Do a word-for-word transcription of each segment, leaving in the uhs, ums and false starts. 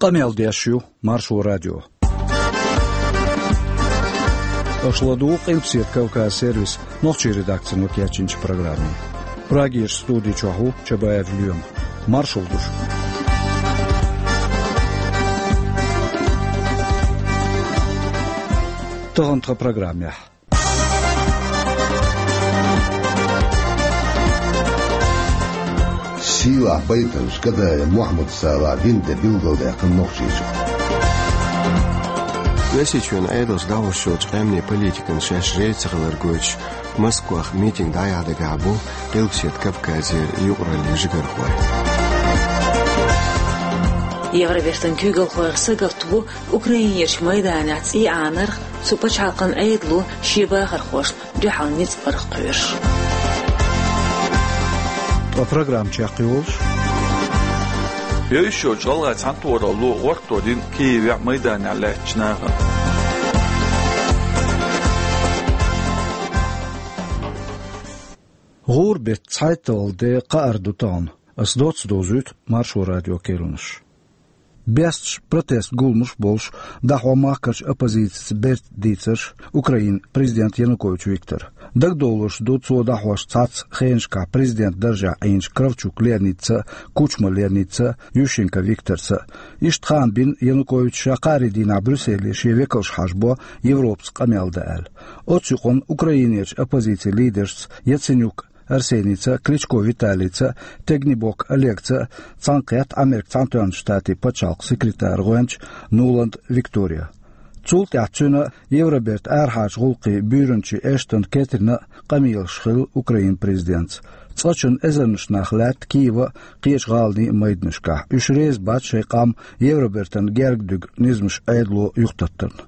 Къамел деш ю Маршо радио. Аша ладугӀу Къилбаседа Кавказ сервисан нохчийн редакцино кечйинчу программе. Прагерчу студи чохь ву Чабаев Лоьма. Маршалла ду шуьга. Тахана тхан программехь. Сийлахь байтанчу Гадаев Мохьмад Салахь вина де билгалдаьккхина Нохчийчохь. Оьрсийчоьнан Ӏедалша дӀахьош йолчу къаьмнийн политикана шаьш реза ца хилар гойтуш, Москвахь митинг дӀаяхьа дагахь бу Къилбаседа Кавказера юкъараллин жигархой. Евробертан куьйгалхойх сагатта бу Украинерчу майданехь цӀий Ӏанарх, цу пачхьалкхан Ӏедало шен бахархошна дуьхьал ницкъ барх кхоьруш. Ткъа программа чекхйолуш: йовзуш йолчу ГӀалгӀайн цхьаьнатохаралло гӀортор дина Киевехь майданехь лаьттачу нахана. ГӀуран беттан цхьайтталгӀа де кхаара ду тахана. Ас доцца довзуьйту Маршо радион керланаш. Бесташ, протест гуламаш а болуш, дӀахьо махкарчу оппозицица берта дийцарш Украинан президента Янукович Виктора. Дагадовлуш ду, цо дӀахьош цхьацца хенашкахь президентан даржехь Ӏийначу Кравчук Леонидца а, Кучма Леонидца а, Ющенко Викторца а. Иштта хаам бина Януковича ша кхаарин дийнахь Брюсселе шен векалш хьажабо Европаца къамел дан аьлла. Оцу юкъанна Украинерчу оппозицин лидершца Яценюк Арсенийца а, Кличко Виталийца а, Тегнибок Олегца а цхьаьнакхетта Америкин Цхьаьнатоьхначу Штатийн пачхьалкхан секретаран гӀоьнча Нуланд Виктория. Цул тӀаьхьа цуьнан Евробертан арахьарчу гӀуллакхийн буьйранчин Эштон Кэтрина а къамелаш хилла Украинан президентца. Цкъачунна эзарнаш нах лаьтта Киеван а, кхечу гӀаланийн а майданашкахь. Уьш реза бац шайн къам Евробертан герга дуьгу низамаш Ӏедало юхататтарна.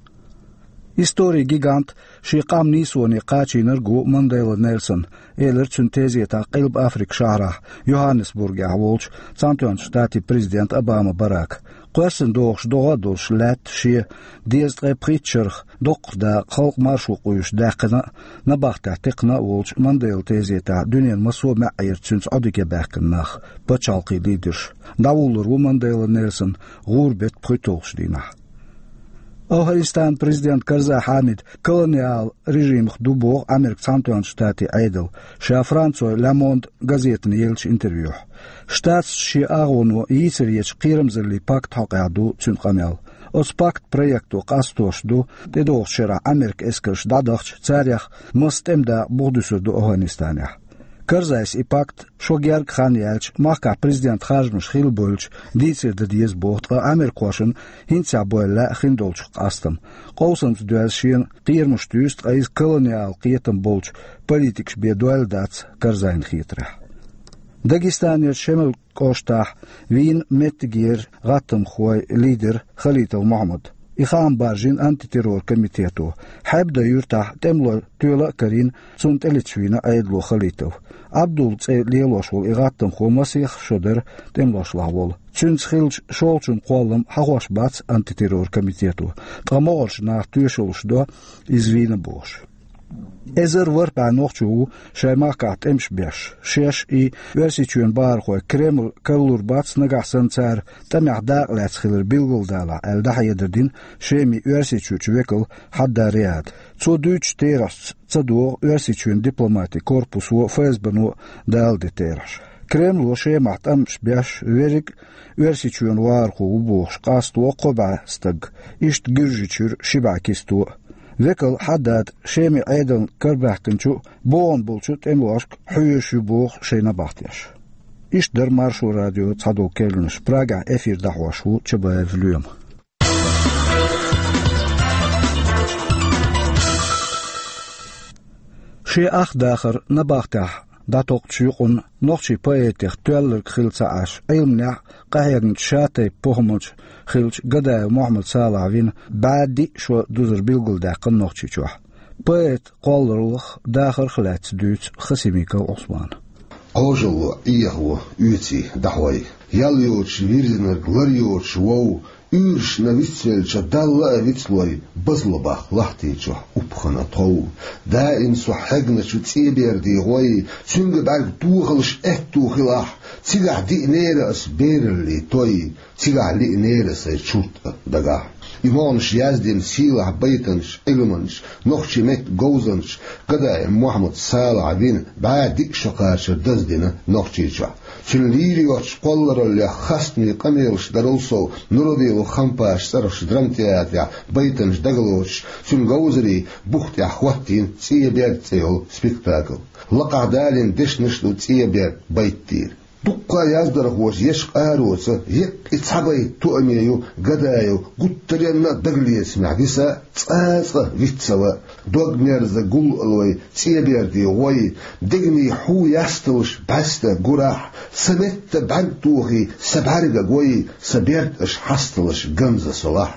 Историн гигант, шен къам нийсоне кхачийнарг а ву Мандела Нельсон, элира цуьнан тезетахь Къилба Африкан шахьарахь, Йоханнесбургехь волчу Цхьаьнатоьхначу Штатийн президента Обама Барака. Кхоьссина догӀуш догӀа а долуш лаьтта шен дезткъе пхийтта шарах доккхах дакъа халкъан маршо къуьйсуш даьккхина а, набахтехь текхна а волчу Манделан тезетахь дуьненан массо а маьӀӀера цуьнца Ӏодика баьхкина нах, пачхьалкхийн лидерш. ДӀавуллур ву Мандела Нельсон гӀуран беттан пхуьйтталгӀачу дийнахь. АфгӀанистанан президент Карзай Хьамидан колониал режимах ду боху Америкин Цхьаьнатоьхначу Штатийн Ӏедал, ша Францин Le Monde газетана еллачу интервьюхь. Штаташца шен агӀоно йийцаре ечу кхерамзаллин пакт хьокъехь ду цуьнан къамел. Оцу пактан проекто къастош ду тӀедогӀучу шарахь Америкин эскарш дӀадахча, царех масса тӀеман дакъа бухадуьсур ду АфгӀанистанехь. Карзайс и пакт, шо герга хан яьлча, махкахь президентан харжамаш хилла бевлча, дийцаре дан деза боху, ткъа америкахошна хӀинццехь бевлла лаьа хиндолчух къастам. Къовсамца доьзна шена кхерамаш туьйсу, ткъа иза колониал кхетам болчу политикаша бен дойла дац Карзайна хетарехь. Дагестанерчу Шемал кӀоштахь вийна меттигера гӀаттамхойн лидер Халитов Мохьмад. И хаам баржийна антитеррор комитето. Хьебдан юьртахь тӀемалойн тоьла а карийна, цунна тӀелеташ вийна Ӏедало Халитов. Абдул цӀе лелош волу и гӀаттамхо масех шо дара тӀемалошлахь волу. Цуьнца хиллачу шолгӀачун кхоллам хьахош бац антитеррор комитето, ткъа могӀарерчу наха тоьшаллаш до иза вийна бохуш. Эзар ворхӀ бӀе нохчо ву шайн махкахь тӀемаш беш. Шаьш и Оьрсийчоьнан бахархой Кремль каралур бац, нагахь санна цара тӀамехь дакъа лаьцна хилар билгалдалахь, аьлла дӀахьедар дина Шеман Оьрсийчуьрчу векала Хьадда Риада. Цо дуьйцучу терахьашца ца догӀу Оьрсийчоьнан дипломатин корпусо а, ФСБ-но а дала де терахьаш. Кремло Шемахь тӀамаш беш верриг а Оьрсийчоьнан вахархо ву бохуш къасто кхо бӀе стаг, иштта Гуьржийчуьра ши бӀе кисто а. Векал Хьаддада Шеман Ӏедална карабаьхкинчу а, богӀун болчу а тӀемалошка хьоьжуш ю боху шайн набахтеш. Иштта дара Маршо радион цхьадолу керланаш. Прагехь эфир дӀахьош ву Чабаев Лоьма. Шен ах дахар набахтехь дӀатокхучу юкъанна нохчийн поэтех тоьлларг хилла ца Ӏаш, Ӏилманехь а, къахьегначу шатайпа похӀманча хиллачу Гадаев Мохьмад Салахь вина бӀе диъ шо дузар билгалдаьккхина Нохчийчохь. Поэтан кхоллараллах, дахарх а лаьцна дуьйцу Хасимиков Ӏусмана. Кхожалло, Ӏехо, оьций дӀахьой, ял йоцуш вирзинарг лар йоцуш вов, уьйрашна вицвелча, Далла а вицлой, базло баккха лахтийчохь упхана тхов. Даим со хьегначу цӀе бердий гӀой, цуьнга бӀаьрг тохалуш аьтту хилахь, Цигахь диънера ас бераллий той, цигахь лиънера сайн чурт а дагахь. И могӀанаш яздина сийлахь байтанаш, Ӏилманаш, нохчийн меттан говзанчаш Гадаев Мохьмад-Салахьа вина бӀаь диъ шо кхачар даздина Нохчийчохь. Цуьнан лийра йоцчу кхоллараллех хастамийн къамелаш дарал сов, Нурадилов Хампаша цӀарахчу драмтеатрехь байтанаш дагалоцуш, цуьнан говзарийн бух тӀехь хӀоттийна «ЦӀен берд» цӀе йолу спектакль. Лакхахь далийна дешнаш а ду «ЦӀен берд» байт тӀера. Дуккха а яздархоша ешан къароца еккъа цхьа байт тоаме ю Гадаев гуттаренна а дагалецамехь виса, цкъа а цкъа виц ца ван. Дог мерза гуллуш вай, цӀен бердийн гӀой, дегнийн хьу ясталаш бӀаьста гурахь, сан метта бӀаьрг тухий, сан бӀаьрга гой, сан берд аша хьасталаш ганза солахь.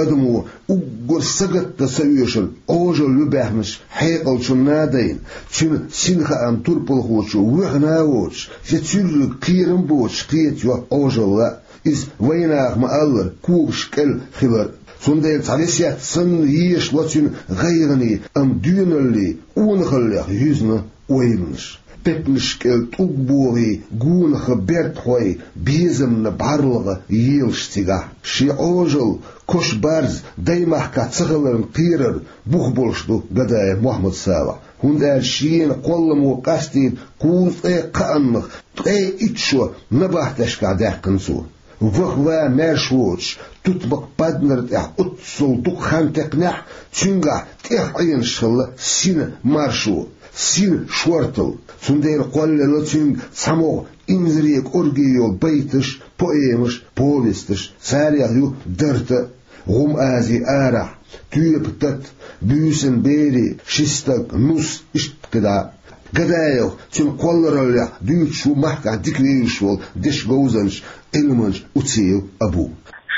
Адамо уггар сагатдан ца оьшург Ӏожалла ю баьхначу хьекъалчунна а дайна, цуьнан синхаам турпалхочо воьхна а воцуш, я цуьрриг кхерам боцуш кхетайо Ӏожалла а. Иза вайнаха ма-аллара когаш кӀел хилар а. Цундела цхьа весет санна езаш ло цуьнан гӀайгӀане, амма доьналлий къонахаллех юьзна ойланаш. Пепнаш кӀел тӀулг богӀий, гонах берд хьой, безамна бӀарлагӀа елаш цигахь. Шен Ӏожалла, кош-барз даймахкахь ца хиларна кхерар бух болуш ду Гадаев Мохьмад-Салахь, хӀунда аьлча шена кхолламо къастийна кхузткъе кхааннах ткъе итт шо набахтешкахь даьккхина цо. Ваха-ван маьрша воцуш, тутмакх паднар тӀехь оццул дукха хан текхнехь, цуьнгахь тӀех Ӏенаш хилла сина маршо, сина шорталла. Цундела кхоллаелла цуьнга цхьа могӀа инзаре кӀорге йолу байташ, поэмаш, повесташ, царех ю «Дарта», «ГӀум Азин арахь», «Тоьпан тата», «Буьйсанан берийн», «Ши стаг», «Нус», иштта кхидӀа а. Гадаев цуьнан кхоллараллех дуьйцуш ву махкахь дика вевзаш волу дешан говзанча, Ӏилманча Уциев Абу.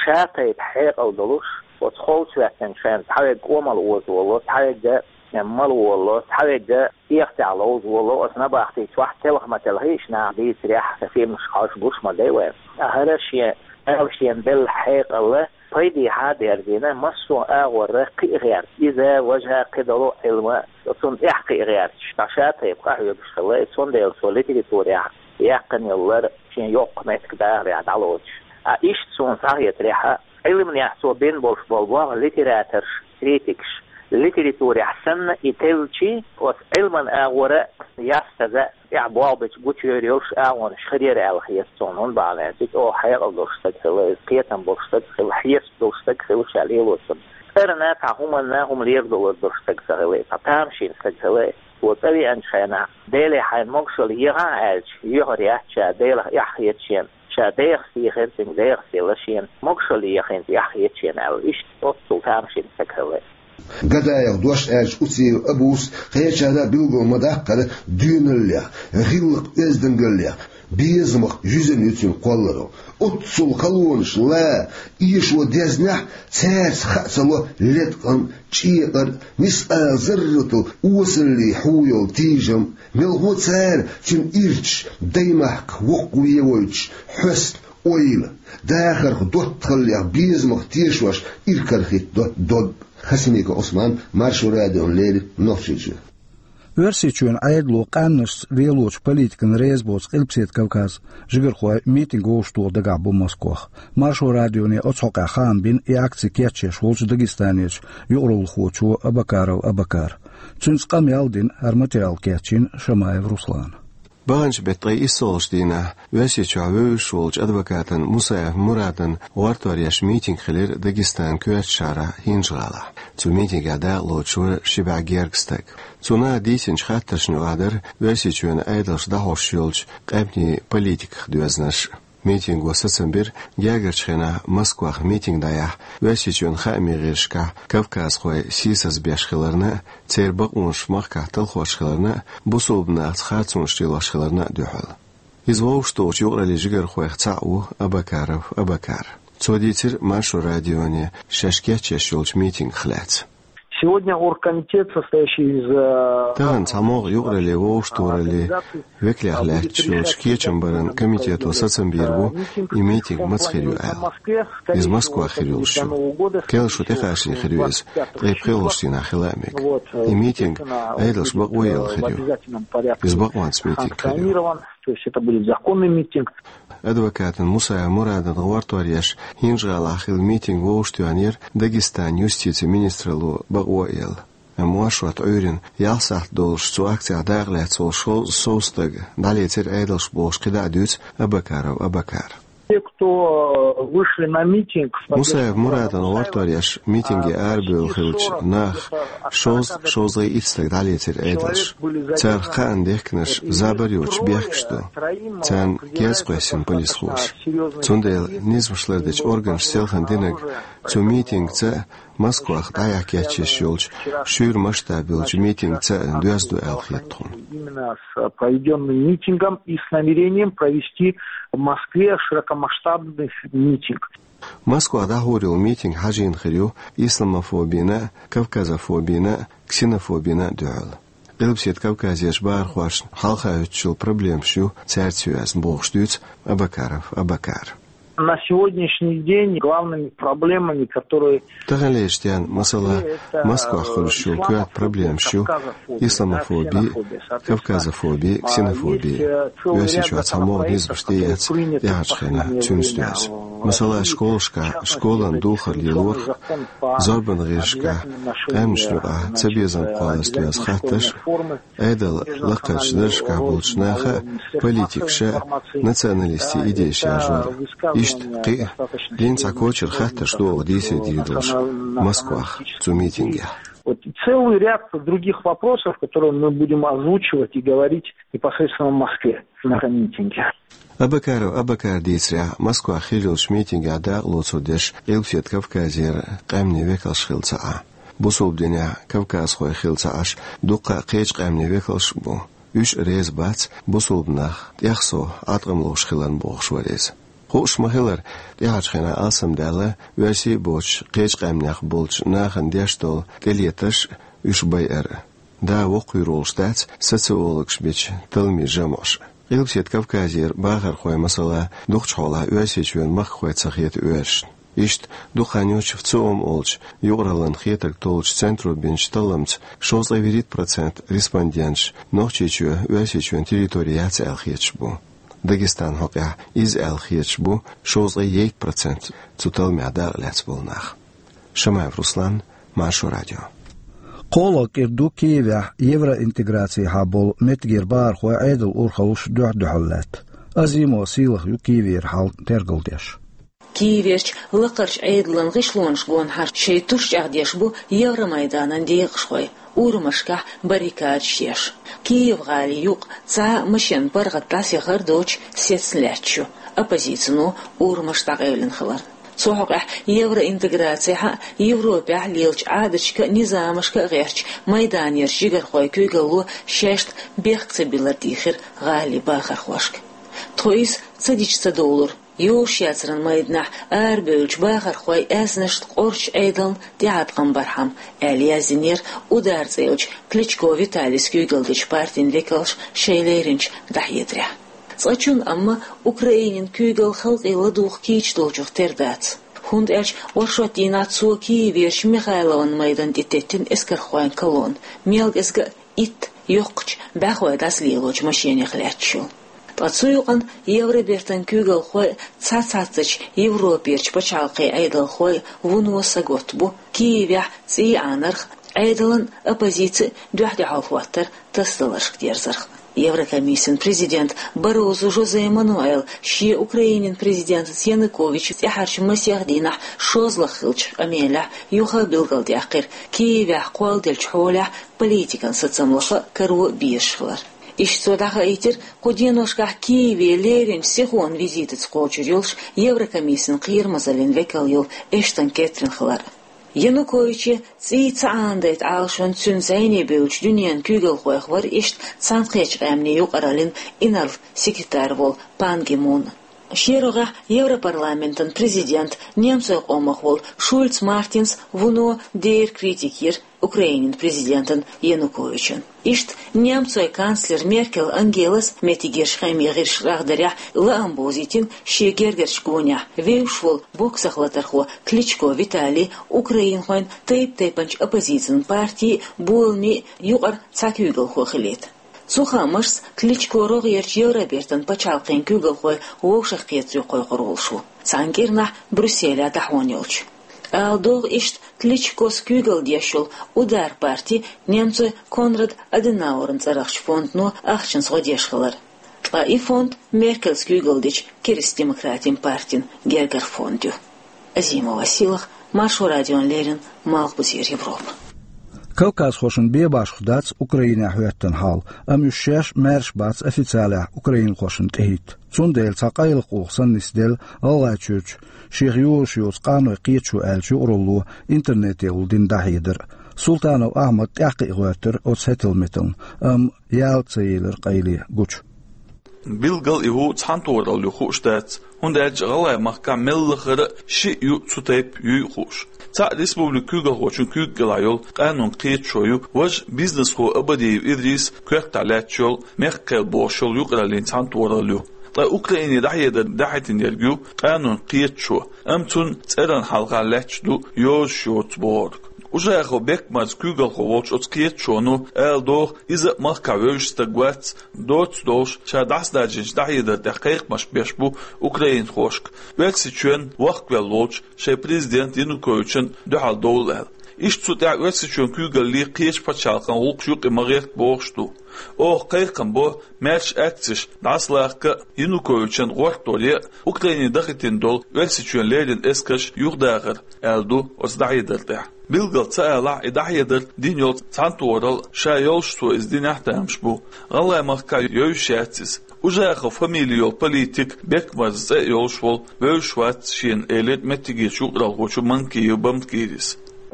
Ша тайпа хьекъал долуш, оцу холчу хӀоьттинчу хенахь цхьаверг къомалла оза волало, цхьаверг мала волало, цхьаверг кехатехь ловза волало, оцу набахти чохь телха ма телхийша нах дийцарехь, сан фильмаш хьожуш гуш ма дай вайн. ТӀаккха хӀара шен, ала шена белла хьекъал пайдехьа а берзийна, массо а агӀор кхиа гӀерта. Иза, важа, кхидолу Ӏилма, цунна тӀехь кхиа гӀерташ, ткъа ша тайпа къахьоьгуш хилла, цундела цо литературехь яьккхина йолу лар шен йоккха меттиг дахарехь дӀалоцуш. Ткъа иштта суна схьахетарехь, Ӏилманехь цо бина болуш болу боху литераторш, критикаш, литературехь санна и теллачий, оцу Ӏилман агӀора ястаза, тӀехь болх бича гучуйовр йолуш агӀонаш хир яра аьлла хета суна, хӀунда бахьана аьлча, иза оха хьекъал долуш стаг хилла, иза кхетам болуш стаг хилла, хьесап долуш стаг хилла ша лелочунна. ЦӀарна, цхьа хӀуманна хӀума лерадалур долуш стаг ца хилла, цхьа тамашийна стаг хилла. Цо цӀа веанчу хенахь, Деле хьайна могушалла ехахьа аьлча, йоьхур яц ша, Делах эхь хета шена, ша дехас дийхира, цуьнга дехас елла шена, могушалла еха хӀинца эхь хета шена аьлла, иштта оццул тамашийна стаг хилла. Гадаев дош аьлча, Уциев Абус кхечарна а билгал ма-даккхара доьналлех, гӀиллакх-оьздангаллех, безамах юьзна ю цуьнан кхолларалла. Оццул халонаш, ла, эшо дезнехь, цаьрца хаа ца ло леткъам, чӀекъар, мискъал зарратал осаллий хьу йолу тийжам, мелхо цара цуьнан ирчаш даймахках воккхаве войтуш хьоьсту ойла, дахарх доттагӀаллех безамах тешош иракарахӀиттадо дог. Хасимиков Ӏусман, Маршо радиона леррина, Нохчийчоь. Оьрсийчоьнан Ӏедало къаьмнашца лелочу политикана реза боцу Къилбаседа Кавказан жигархой митинг вовшахтоха дагахь бу Москвахь. Маршо радионе оцу хьокъехь хаам бина и акци кечъеш волчу Дагестанерчу юкъараллахочо Абакаров Абакара. Цуьнца къамел а дина, хӀара материал кечйина Шамаев Руслана. Баханчу беттан ткъе иссалгӀачу дийнахь Оьрсийчохь вевзаш волчу адвокатан Мусаев Мурадан гӀортор еш митинг хилира Дагестанан коьртачу шахьарахь ХӀинжа-ГӀалахь. Цу митингехь дакъалоцуш вара ши бӀе гергга стаг. Цу наха дийцинчу хаттаршна юкъахь дара Оьрсийчоьнан Ӏедалша дӀахьош йолчу къаьмнийн политиках доьзнарш. Митинго сацам бира гергарчу хенахь Москвахь митинг дӀаяхьа Оьрсийчоьнан хаамийн гӀирсашкахь кавказхой сийсаз беш хиларна а, церан бакъонаш махкахь талхош хиларна а, бусулба нахаца харцонаш лелош хиларна а дуьхьал. Иза вовшахтохучу юкъараллин жигархойх цхьаъ ву Абакаров Абакар. Цо дийцира Маршо радионе шаьш кечъеш йолчу митингах лаьцна. Сегодня оргкомитет, состоящий из, э, Тахана цхьа могӀа юкъараллин вовшахтохараллин векалех лаьтташ йолчу кечам баран комитето сацам бийр бу, и митинг маца хир ю аьлла. Иза Москвахь хир йолуш ю. Керла шо тӀекхачане хир ю иза, ткъе пхоьалгӀачу дийнахь хила а мега. И митинг Ӏедалша бакъо а елла хир ю. Иза бакъонца митинг хир ю. То есть это будет законный митинг. Адвокатан Мусаев Мурадан гӀортор еш, ХӀинжа-ГӀалахь хилла митинг вовшахтоьхнера Дагестан юстицин министралло бакъо а елла. Амма оршот Ӏуьйрина ялх сахьт долуш цу акцехь дакъалаьцна волу шовзткъа сов стага дӀалецира Ӏедалш бохуш кхидӀа а дуьйцу Абакаров Абакара. Те, кто, э, вышли на митинг, Мусаев Мурадан гӀортор еш митинге арабевлла хиллачу нах шовзткъа, шовзткъе итт стаг дӀалецира Ӏедалш. Царах кхаанна дехкинарш забар йоцуш бехкаш ду. Царна керза кхоьссина полисхоша. Цундела низамаш лардечу органаша селхана динарг цу митингца а, Москвахь дӀаяхьа кечйеш йолчу шуьйра масштаб йолчу митингца а доьзна ду аьлла хета тхуна. Именно с проведённым митингом и с намерением провести в Москве широкомасштабный митинг. Москвахь дӀахьур йолу митинг хьажийна хир ю исламофобина а, кавказофобина а, ксенофобина а дуьхьал. Къилбаседа Кавказерчу бахархошна хьалха хӀуьттуш йолу проблемаш ю цаьрца йоьзна бохуш дуьйцу Абакаров Абакара. На сегодняшний день главными проблемами, которые... Таханлерчу дийнахь, масала, Москвахь хуьлуш йолу коьрта проблемаш ю исламофоби, кавказофоби, ксенофоби. Оьрсийчохь цхьа могӀа низамаш тӀеэцна тӀаьхьарчу хенахь цуьнца доьзна. Масала, школашкахь школан духар лелорах, зорбанан гӀирсашкахь къаьмнашна юкъахь цабезам кхолларца доьзна хаттарш, Ӏедалан лакхарчу даржашкахь болчу наха а, политикаша а националистийн идейш яржор. Иштта кхин а дийнна цхьа кочара хаттарш ду оха дийцаре дийр долуш Москвахь цу митингехь. Вот целый ряд других вопросов, которые мы будем озвучивать и говорить непосредственно в Москве на этом митинге. Абакаров Абакара дийцарехь, Москвахь хир йолчу митингехь дакъа лоцур дерш Къилбаседа Кавказера къаьмнийн векалш хилла ца Ӏа. Бусулба динехь кавказхой хилла ца Ӏаш, дуккха а кхечу къаьмнийн векалш а бу. Уьш а реза бац бусулба нах тӀех сов Ӏаткъам ловш хиларна бохуш вара иза. Хууш ма-хиллара, тӀаьхьарчу хенахь алсамдаьлла, оьрсий а боцуш, кхечу къаьмнех болчу нахана деш долу тӀелетарш а уьш байар а. Да воккхавийр волуш дац социологаша бечу талламийн жамӀаша. Къилбаседа Кавказера бахархой, масала, дукхачу хьолахь Оьрсийчоьнан махкахой ца хета оьрсашна. Иштта дукха хан йоцуш ФЦИОМ олучу юкъараллин хетарг толлучу центро бинчу талламца шовзткъе вуьрхӀитта процент респонденташ Нохчийчоь Оьрсийчоьнан территори яц аьлла хеташ бу. Дагестанан хьокъехь иза аьлла хеташ бу шовзткъе ейтта процент цу талламехь дакъалаьцна болу нах. Шамаев Руслан, Маршо радио. КхоалгӀа кӀира ду Киевехь евроинтеграцехьа болу меттигера бахархой Ӏедалан урхаллаш дуьхь-дуьхьал лаьтта. Азимова Сийлаха ю Киевера хьал тергалдеш. Киеверчу лакхарчу Ӏедалан гӀишлонаш гонахьара шайн туш чӀагӀдеш бу Евромайданан декъашхой, урамашкахь баррикадаш еш. Киев-гӀалин юкъа цхьа а машенан паргӀат дӀасаяхар доцуш сецна лаьтташ ю, оппозицино урамаш дӀакъевлина хиларна. Цу хьокъехь евроинтеграцехьа а, Европехь лелачу Ӏадаташка а, низамашка а гӀертачу Майданерчу жигархойн куьйгалло шаьшна бехк ца биллар дийхира гӀалин бахархошка. Тхо иза ца дича ца довлура. Йовш яцаран майданахь арабевллачу бахархойн аьзнашна къорчу Ӏедална тӀеӀаткъам бархьама, аьлла яздинера «Удар» цӀе йолчу Кличко Виталийс куьйгалла дечу партин векалша шайн леринчу дӀахьедарехь. Цкъачунна амма Украинин куьйгалла халкъе ладугӀу кийча долчух тера дац. ХӀунда аьлча оршот дийнахь цо Киеверчу Михайлован майдан тӀе теттина эскархойн колонна, мел кӀезиг а итт йоккхачу бӀаьхой дӀасалелочу машенех лаьтташ йолу. Ткъа цу юкъана Евробертан куьйгалхой а, цхьацца-цхьацца Европерчу пачхьалкхийн Ӏедалхой а вуно сагатта бу Киевехь цӀий Ӏанарх, Ӏедалан а, оппозицин а дуьхь-дуьхьал хӀоттар тасадаларшка дерзарх. Еврокомиссин президента Баррозу Жозе Мануэла шен Украинин президентаца Януковичаца тӀаьхьарчу масех дийнахь шозлагӀа хиллачу къамелехь юха а билгалдаьккхира Киевехь кхолладеллачу хьолехь политикан сацамлаха а, каро а безаш хилар. Иштта цо дӀахаийтира кху деношкахь Киеве леринчу сихонан визитаца кхочур йолуш Еврокомиссин кхерамазаллин векал йолу Эштон Кэтрин хилар. Януковиче цӀий ца Ӏанадайта Ӏалашонца цуьнан зӀене бевллачу дуьненан куьйгалхойх вара иштта Цхьаьнакхеттачу Къаьмнийн юкъараллин инарла секретарь волу Пан Ги Мун. Шен рогӀехь Европарламентан президент, немцойн къомах волу Шульц Мартинс вуно дера критика йира Украинин президентан Януковичан. Иштта немцойн канцлер Меркел Ангелас меттигерчу хаамийн гӀирсаша рагӀдарехь лаам бовзийтина шен гергарчу гонехь вевзаш волу боксах латархо Кличко Виталий украинхойн тайп-тайпанчу оппозицин партийн а, боламийн а юкъара цхьа куьйгалхо хилийта. Цу хаамашца, Кличко рогӀерчу Евробертан пачхьалкхийн куьйгалхой вовшахкхетар ю кхойкхур волуш ву, цхьана кӀирнахь Брюсселехь дӀахьона йолчу. Ала догӀу иштта, Кличкос куьйгалла деш йолу «Удар» парти немцойн Конрад Аденауэран цӀарахчу фондано ахчанца гӀо деш хилар. Ткъа и фонд Меркельс куьйгалла дечу Киристдемократийн партин гергара фонд ю. Азимова Силах, Маршо радиона леррина, Малхбузера Европа. Кавказхошна бен башха дац Украинехь хӀоьттина хьал, амма уьш шаьш маьрша бац официалехь украинхошна тӀехӀитта. Цундела цхьа къайлакх уллохь санна нисделла ГӀалгӀайчуьрчу шех йозуш йоцу къанойн кхеташо аьллачу юкъаралло интернете улла дина дӀахьедар. Султанов Ахьмад тӀаьхьакхиа гӀоьртира оцу хӀетал-метална, амма яла ца елира къайле гучу. Билггал и хӀу цхьаьнатохаралла ю хууш дац, хӀунда аьлча ГӀалгӀай махкахь мел лахара а шиъ ю цу тайпа юй а хууш. Цхьаъ республикан куьйгалхочун куьйга кӀелахь йолу къанойн кхеташо ю, важа бизнесхо Абадиев Идрис коьртахь лаьтташ йолу «Мехк-кхел» бохуш йолу юкъараллин цхьаьнатохаралла ю. Ткъа Украине дӀахьедар дӀахӀиттина ерг ю къанойн кхеташо, амма цуьнан цӀеран хьалха лаьтташ ду йозуш йоцу бохург. Ужахов Бекмарза куьйгалхо волчу оцу кхеташоно ала догӀу, иза а махкахь вевзаш стаг вац, доцца долуш, ша дӀасадаьжначу дӀахьедар тӀехь кхайкхамаш беш бу украинхошка, Оьрсийчоьнна вахкавелла волчу шайн президент Януковична дуьхьал довла аьлла. Иштта цу тӀехь Оьрсийчоьнан куьйгалле кхечу пачхьалкхан гӀуллакхаш юкъа ма гӀерта бохуш ду. Оха кхайкхам бо, маьрша акцеш дӀасалахка а, Януковичан гӀортор ян а, Украине дахийтина долу Оьрсийчоьнан леррина эскарш юхадахар, аьлла ду оцу дӀахьедар тӀехь. Билггал ца алахь, и дӀахьедар дина йолу цхьаьнатохаралла ша йолуш цо иза динехь а тамаш бу. ГӀалгӀай махкахь йовзаш яц иза. Ужахов фамили йолу политик Бекмарза цӀе а йолуш волу вевзаш вац шена, элира меттигерчу юкъаралхочо Манкиев Бамткирис.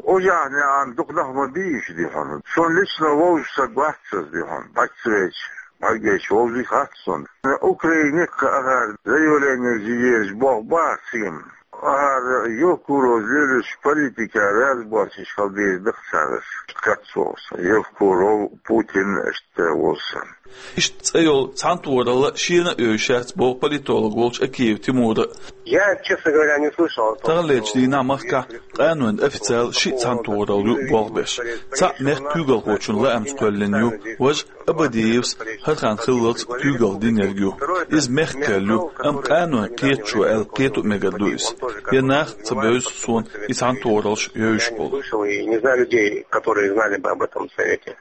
Ужахов нехан дукха нах ма бийша ди хьуна. Суна лично вовзаш стаг вац иза ди хьуна. Паччахьчу бӀаьргаш вовзий хац суна. Украине кхаахьара заявление езаш боху бац цигахь. Ахьара Евкуров лелаш политика разборчиш хила деза даха цараш. Кацволу сан. Евкуров, Путин, иштта волу сан. Иштта цӀе йолу цхьаьнатохаралла шена а йовзаш яц боху политолог волчу Акиев Тимура. Я, честно говоря, не слышал о том, что... Таханлерчу дийнахь махкахь къанойн официал шиъ цхьаьнатохаралла ю болх беш. Цхьаъ мехкан куьйгалхочун лаамца кхоьллина ю, важа Абадиевс хӀара хан хиллалц куьйгалла динарг ю. Иза мехкан кхел ю, амма къанойн кхеташо аьлла кхето а мегар ду иза. Бен нах а ца бевза суна и цхьаьнатохараллаш йовзаш болу. Слышал и не знаю людей, которые знали бы об этом совете.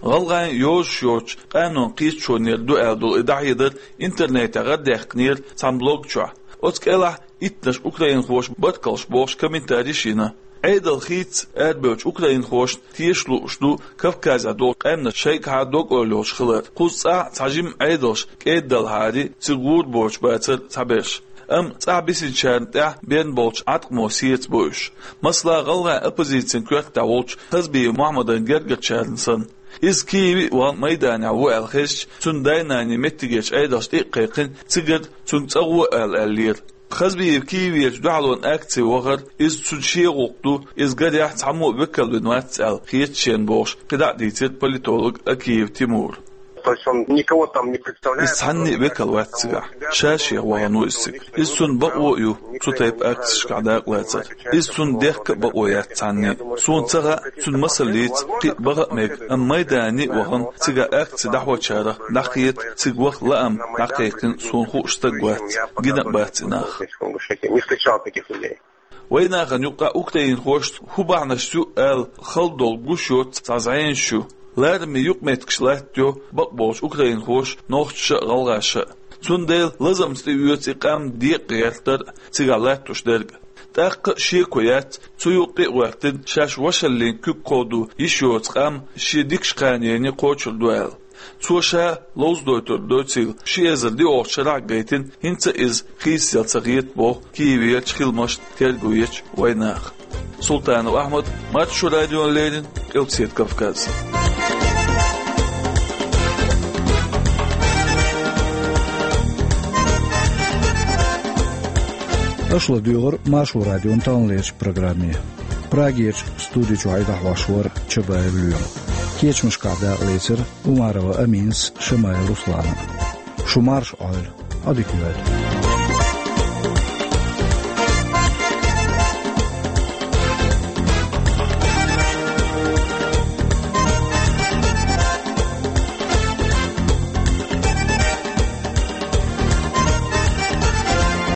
ГӀалгӀайн йозуш йоцучу къанойн кхеташонера ду аьлла долу и дӀахьедар интернетехь гӀардаьккхинера цхьана блог чохь. Оцу кӀелахь иттаннаш украинхоша баркаллаш бохуш комментариш йина. Ӏедал хийцаца арабевллачу украинхошна теша лууш ду Кавказехь долу къаьмнаш шайгахьа дог-ойла йолуш хилар. Кхуза цӀахь цхьа жимма Ӏедалш кӀеда далахьара, цига гӀур боцуш бацара цхьаберш. Амма цӀахь бисинчарна тӀехь бен болчу Ӏаткъамо сеца бу уьш. Масала, гӀалгӀайн оппозицин коьртехь волчу Хазбиев Мухьаммадан гергарчарна санна. Иза Киеве а вахана Майданехь ву аьлла хезча, цуьнан дай-наний меттигерчу Ӏедалшна тӀе а кхайкхина, цигара цуьнга цӀа гӀо ала аьллера. Хазбиев Киевера дуьхьалонан акци вахара, иза цуьнан шен гӀуллакх ду, иза гарехь цхьаммо а векал вина вац аьлла хета шена бохуш, кхидӀа а дийцира политолог Акиев Тимура. То есть он никого там не представляет. Иза цхьанне а векал вац цигахь. Ша шех вахана ву иза цига. Иза цунна бакъо а ю цу тайпа акцешкахь дакъалацар. Иза цунна дехка а бакъо яц цхьанне а. Суна ца хаьа, цуьнан масаллица кхин а баха а мега, амма Майдане а вахана, цигахь акци дӀахьочарах дӀахета, цига ваха лаам дӀакхайкхина суна хууш стаг вац, гина а бац и нах. Не встречал таких людей. Вайн нахана юкъахь украинхошца хӀун бахьанаш ю аьлла хала долу гуш йоцу цхьа зӀенаш ю. Лараме юкъаметтигаш латтайо бакъболчу украинхоша, нохчаша а, гӀалгӀаша а. Цундела лазамца тӀеоьцу и къам декъа гӀертар а, цигахь латтош дерг а. ТӀаккха а шеко яц, цу юкъе а гӀоьртина, шаьш вашаллин куьг кховдо йиш йоцу къам шен дикачу кханене кхочур ду аьлла. Цо ша ловзадойтур доцийла, ши эзар диъолгӀачу шарахь а гайтина, хӀинца а иза хийцаелла ца хета, боху Киевера хиламашна терго ечу вайнаха. Султанов Ахьмад, Маршо радиона леррина, Къилбаседа Кавказ. Аша ладуьйгӀира Маршо радион таханлерчу программе. Прагерчу студи чохь и дӀахьош вара Чабаев Лоьма. Кечамашкахь дакъалецира Умарова Аминас, Шамаев Руслана. Шу марша Ӏойла, Ӏодика йойла.